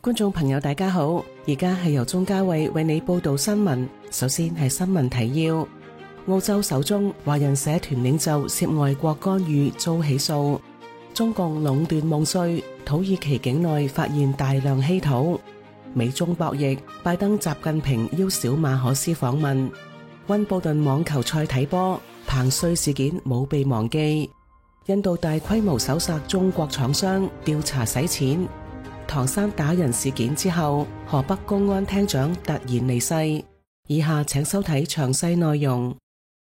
觀眾朋友大家好，而家係由鍾嘉慧為你報道新聞。首先係新聞提要：澳洲首宗華人社團領袖涉外國干預遭起訴；中共壟斷夢碎，土耳其境內發現大量稀土；美中博弈，拜登習近平邀小馬可斯訪問；溫布頓網球賽睇波，彭帥事件冇被忘記；印度大規模搜索中國廠商，調查洗錢；唐山打人事件之後，河北公安廳長突然離世。以下請收睇詳細內容。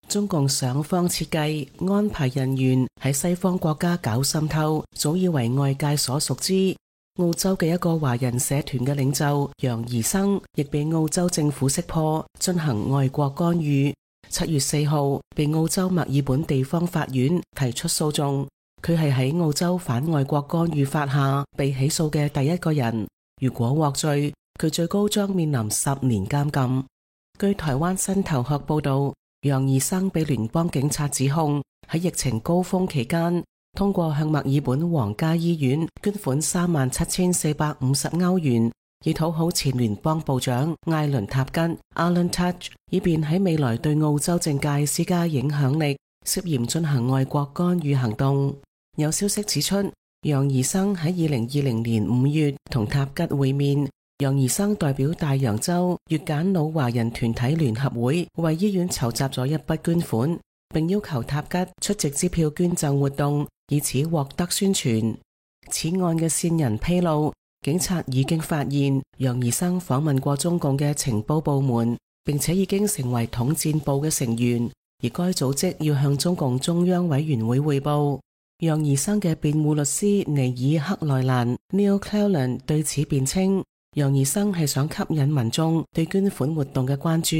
中共想方設計安排人員喺西方國家搞滲透，早已為外界所熟知。澳洲嘅一個華人社團嘅領袖楊怡生，亦被澳洲政府識破，進行外國干預。7月4號，被澳洲墨爾本地方法院提出訴訟。佢係喺澳洲反外國干預法下被起訴嘅第一個人。如果獲罪，佢最高將面臨10年監禁。據台灣新頭殼報道，楊怡生被聯邦警察指控喺疫情高峰期間，通過向墨爾本皇家醫院捐款37,450歐元，以討好前聯邦部長艾倫塔吉 Alan Tudge， 以便喺未來對澳洲政界施加影響力，涉嫌進行外國干預行動。有消息指出，楊怡生喺2020年5月同塔吉會面。楊怡生代表大洋洲越柬老華人團體聯合會為醫院籌集咗一筆捐款，並要求塔吉出席支票捐贈活動，以此獲得宣傳。此案嘅線人披露，警察已經發現楊怡生訪問過中共嘅情報部門，並且已經成為統戰部嘅成員，而該組織要向中共中央委員會匯報。楊怡生嘅辯護律師尼爾克萊蘭 Neil Cleland 對此辯稱，楊怡生係想吸引民眾對捐款活動嘅關注，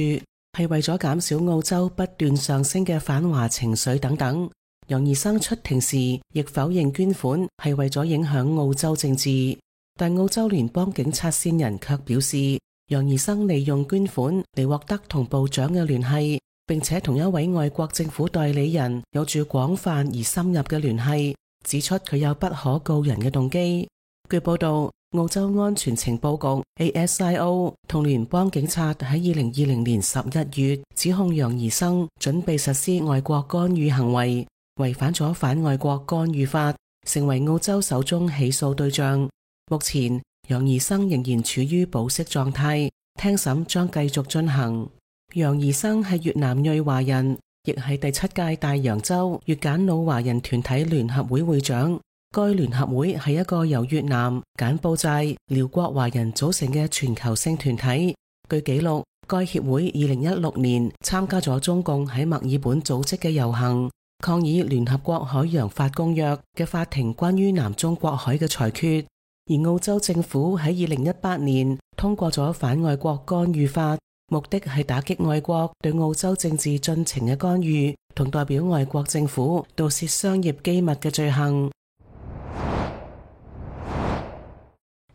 係為咗減少澳洲不斷上升嘅反華情緒等等。楊怡生出庭時亦否認捐款係為咗影響澳洲政治，但澳洲聯邦警察線人卻表示，楊怡生利用捐款嚟獲得同部長嘅聯繫，並且同一位外國政府代理人有住廣泛而深入嘅聯繫，指出佢有不可告人嘅動機。據報道，澳洲安全情報局 ASIO 同聯邦警察喺2020年11月指控楊怡生準備實施外國干預行為，違反咗反外國干預法，成為澳洲首宗起訴對象。目前，楊怡生仍然處於保釋狀態，聽審將繼續進行。楊怡生係越南裔華人，亦係第7屆大洋洲越柬老華人團體聯合會會長。該聯合會係一個由越南、柬埔寨、寮國華人組成嘅全球性團體。據記錄，該協會2016年參加咗中共喺墨爾本組織嘅遊行，抗議聯合國海洋法公約嘅法庭關於南中國海嘅裁決。而澳洲政府喺2018年通過咗反外國干預法，目的係打擊外國對澳洲政治進程嘅干預，同代表外國政府盜竊商業機密嘅罪行。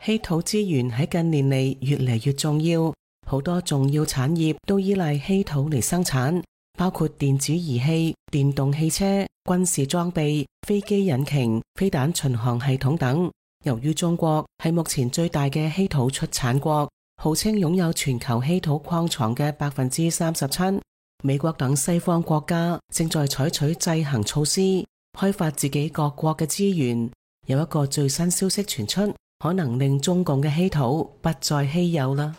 稀土資源喺近年嚟越嚟越重要，好多重要產業都依賴稀土嚟生產，包括電子儀器、電動汽車、軍事裝備、飛機引擎、飛彈巡航系統等。由於中國係目前最大嘅稀土出產國，號稱擁有全球稀土礦藏嘅37%，美國等西方國家正在採取制衡措施，開發自己各國嘅資源。有一個最新消息傳出，可能令中共嘅稀土不再稀有啦。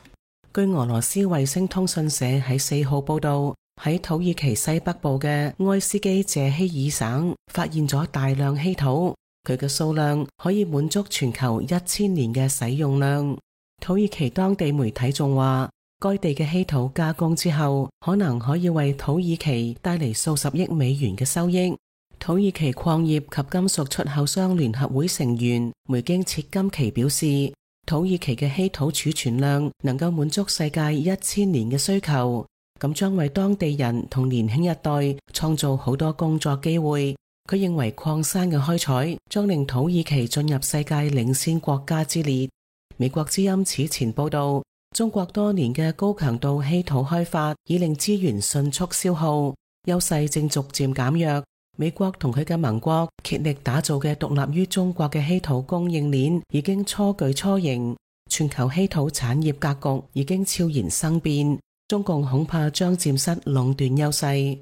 據俄羅斯衛星通訊社喺4號報道，喺土耳其西北部嘅埃斯基謝希爾省發現咗大量稀土，佢嘅數量可以滿足全球1000年嘅使用量。土耳其當地媒體仲話，該地嘅稀土加工之後，可能可以為土耳其帶嚟數十億美元嘅收益。土耳其礦業及金屬出口商聯合會成員梅京切金奇表示，土耳其嘅稀土儲存量能夠滿足世界1000年嘅需求，咁將為當地人同年輕一代創造好多工作機會。佢認為礦山嘅開採將令土耳其進入世界領先國家之列。美國之音此前報道，中國多年嘅高強度稀土開發已令資源迅速消耗，優勢正逐漸減弱。美國同佢嘅盟國竭力打造嘅獨立於中國嘅稀土供應鏈已經初具雛形。全球稀土產業格局已經悄然生變，中共恐怕將佔失壟斷優勢。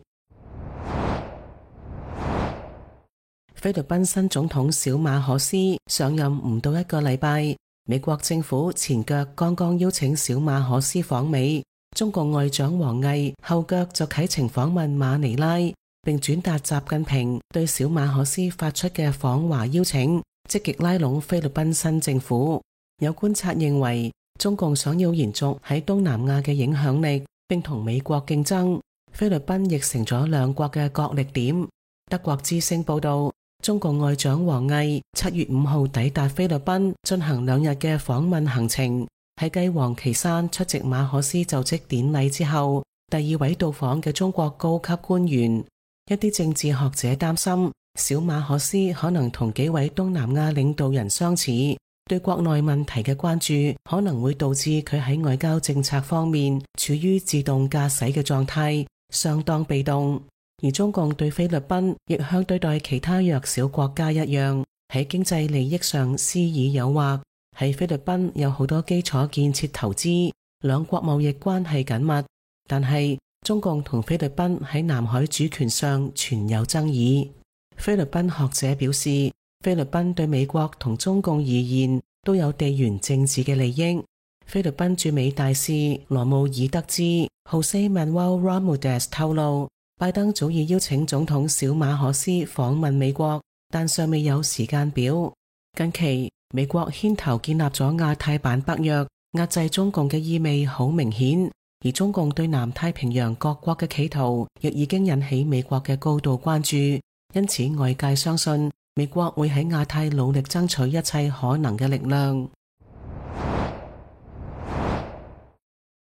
菲律賓新總統小馬可斯上任唔到一個禮拜，美國政府前腳剛剛邀請小馬可斯訪美，中共外長王毅後腳就啟程訪問馬尼拉，並轉達習近平對小馬可斯發出嘅訪華邀請，積極拉攏菲律賓新政府。有觀察認為，中共想要延續喺東南亞嘅影響力，並同美國競爭，菲律賓亦成咗兩國嘅角力點。德國之聲報道，中共外長王毅7月5號抵達菲律賓，進行2日嘅訪問行程，喺繼王岐山出席馬可斯就職典禮之後，第2位到訪嘅中國高級官員。一啲政治學者擔心，小馬可斯可能同幾位東南亞領導人相似，對國內問題嘅關注可能會導致佢喺外交政策方面處於自動駕駛嘅狀態，相當被動。而中共對菲律賓亦向對待其他弱小國家一樣，喺經濟利益上施以誘惑。喺菲律賓有好多基礎建設投資，兩國貿易關係緊密，但係中共同菲律賓喺南海主權上存有爭議。菲律賓學者表示，菲律賓對美國同中共而言都有地緣政治嘅利益。菲律賓駐美大使羅姆爾德茲 Jose Manuel Ramirez 透露，拜登早已邀請總統小馬可斯訪問美國，但尚未有時間表。近期美國牽頭建立咗亞太版北約，壓制中共嘅意味好明顯，而中共對南太平洋各國嘅企圖亦已經引起美國嘅高度關注，因此外界相信美國會喺亞太努力爭取一切可能嘅力量。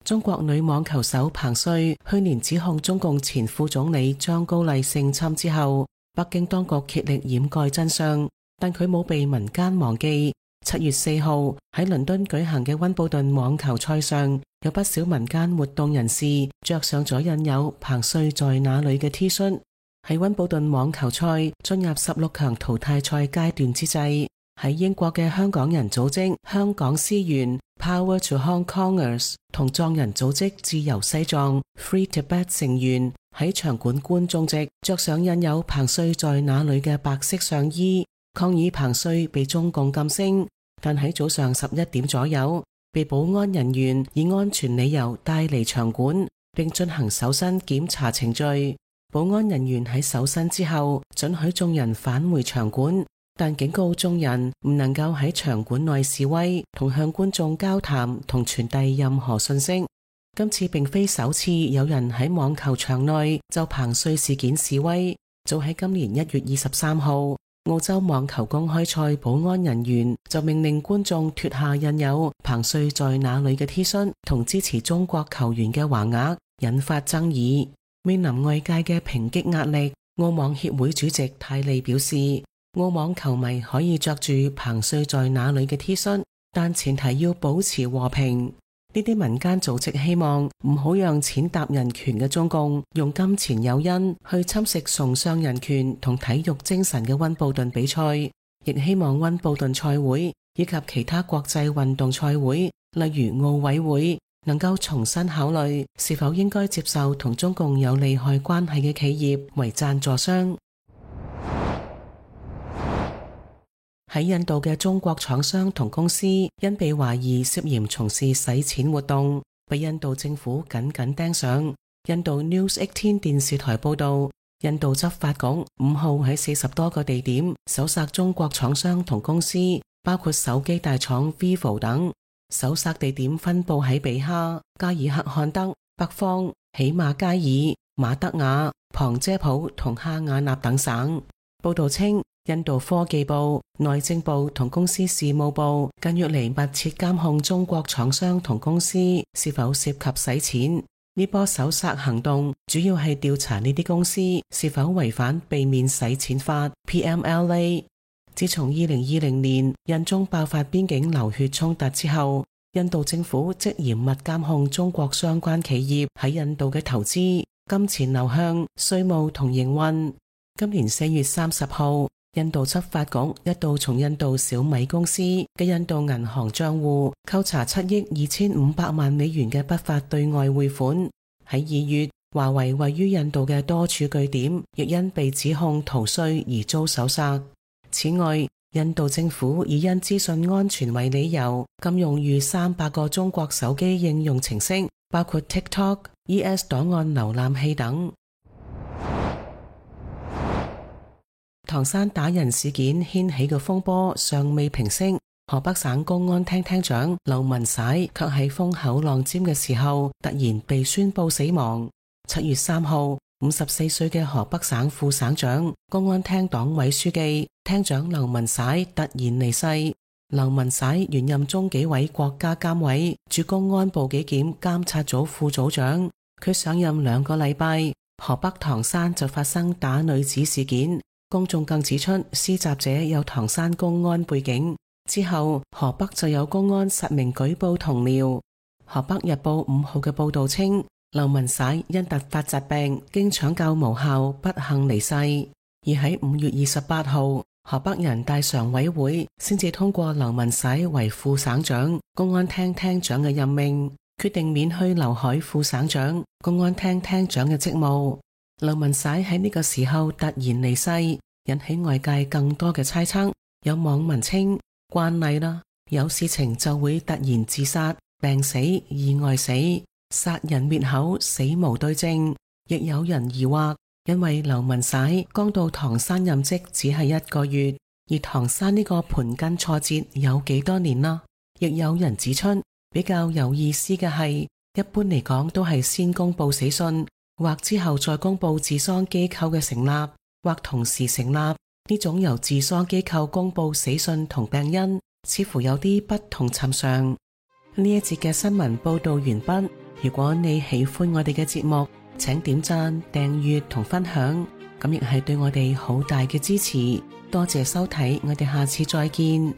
中國女網球手彭帥去年指控中共前副總理張高麗性侵之後，北京當局竭力掩蓋真相，但佢冇被民間忘記。7月4號喺倫敦舉行嘅溫布頓網球賽上，有不少民間活動人士着上咗印有彭帥在哪裏嘅 T 恤。喺溫布頓網球賽進入16強淘汰賽階段之際，喺英國嘅香港人組織香港思源 Power to Hong Kongers 同藏人組織自由西藏 Free Tibet 成員喺場館觀眾席着上印有彭帥在哪裏嘅白色上衣，抗議彭帥被中共禁聲。但喺早上11點左右，被保安人員以安全理由帶離場館，並進行搜身檢查程序。保安人員喺搜身之後准許眾人返回場館，但警告眾人唔能夠喺場館內示威同向觀眾交談同傳遞任何信息。今次並非首次有人喺網球場內就彭帥事件示威。早喺今年1月23號，澳洲網球公開賽保安人員就命令觀眾脫下印有彭帥在哪裏嘅 T 恤同支持中國球員嘅橫額，引發爭議。面臨外界嘅抨擊壓力，澳網協會主席泰利表示，澳網球迷可以着住彭帥在哪裏嘅 T 恤，但前提要保持和平。呢啲民間組織希望唔好讓踐踏人權嘅中共用金錢誘因去侵蝕崇尚人權同體育精神嘅溫布頓比賽，亦希望溫布頓賽會以及其他國際運動賽會，例如奧委會，能夠重新考慮是否應該接受同中共有利害關係嘅企業為贊助商。喺印度嘅中國廠商同公司因被懷疑涉嫌從事洗錢活動，被印度政府緊緊盯上。印度 News 18電視台報道，印度執法局5號喺40多個地點搜索中國廠商同公司，包括手機大廠 Vivo 等。搜索地點分布喺比哈、加爾克漢德、北方、喜馬加爾、馬德雅、旁遮普同哈瓦那等省。報道稱，印度科技部、內政部同公司事務部近月嚟密切監控中國廠商同公司是否涉及洗錢。呢波搜索行動主要係調查呢啲公司是否違反避免洗錢法 PMLA。自從2020年印中爆發邊境流血衝突之後，印度政府即嚴密監控中國相關企業喺印度嘅投資、金錢流向、稅務同營運。今年4月30號，印度執法局一度從印度小米公司嘅印度銀行賬戶扣查7億2500萬美元嘅不法對外匯款。喺2月，華為位於印度嘅多處據點亦因被指控逃稅而遭搜索。此外，印度政府以因資訊安全為理由，禁用逾300個中國手機應用程式，包括 TikTok、ES 檔案瀏覽器等。唐山打人事件掀起嘅風波尚未平息，河北省公安廳廳長劉文璽卻喺風口浪尖嘅時候突然被宣布死亡。7月3號，54歲嘅河北省副省長、公安廳黨委書記、廳長劉文璽突然離世。劉文璽原任中紀委國家監委駐公安部紀檢監察組副組長，佢上任2個禮拜，河北唐山就發生打女子事件。公眾更指出施襲者有唐山公安背景。之後河北就有公安實名舉報同僚。河北日報5號嘅報道稱，劉文璽因突發疾病經搶救無效不幸離世。而喺5月28號，河北人大常委會先至通過劉文璽為副省長、公安廳廳長嘅任命，決定免去劉海副省長、公安廳廳長嘅職務。劉文璽喺呢個時候突然離世，引起外界更多嘅猜測。有網民稱慣例啦，有事情就會突然自殺、病死、意外死，殺人滅口，死無對證。亦有人疑惑，因為劉文璽剛到唐山任職只係1個月，而唐山呢個盤根錯節有幾多年啦？亦有人指出，比較有意思嘅係，一般嚟講都係先公布死訊，或之後再公布治喪機構嘅成立，或同時成立。呢種由治喪機構公布死訊同病因，似乎有啲不同尋常。呢一節嘅新聞報道完畢。如果你喜歡我哋嘅節目，請點讚、訂閱同分享，咁亦係對我哋好大嘅支持。多謝收睇，我哋下次再見。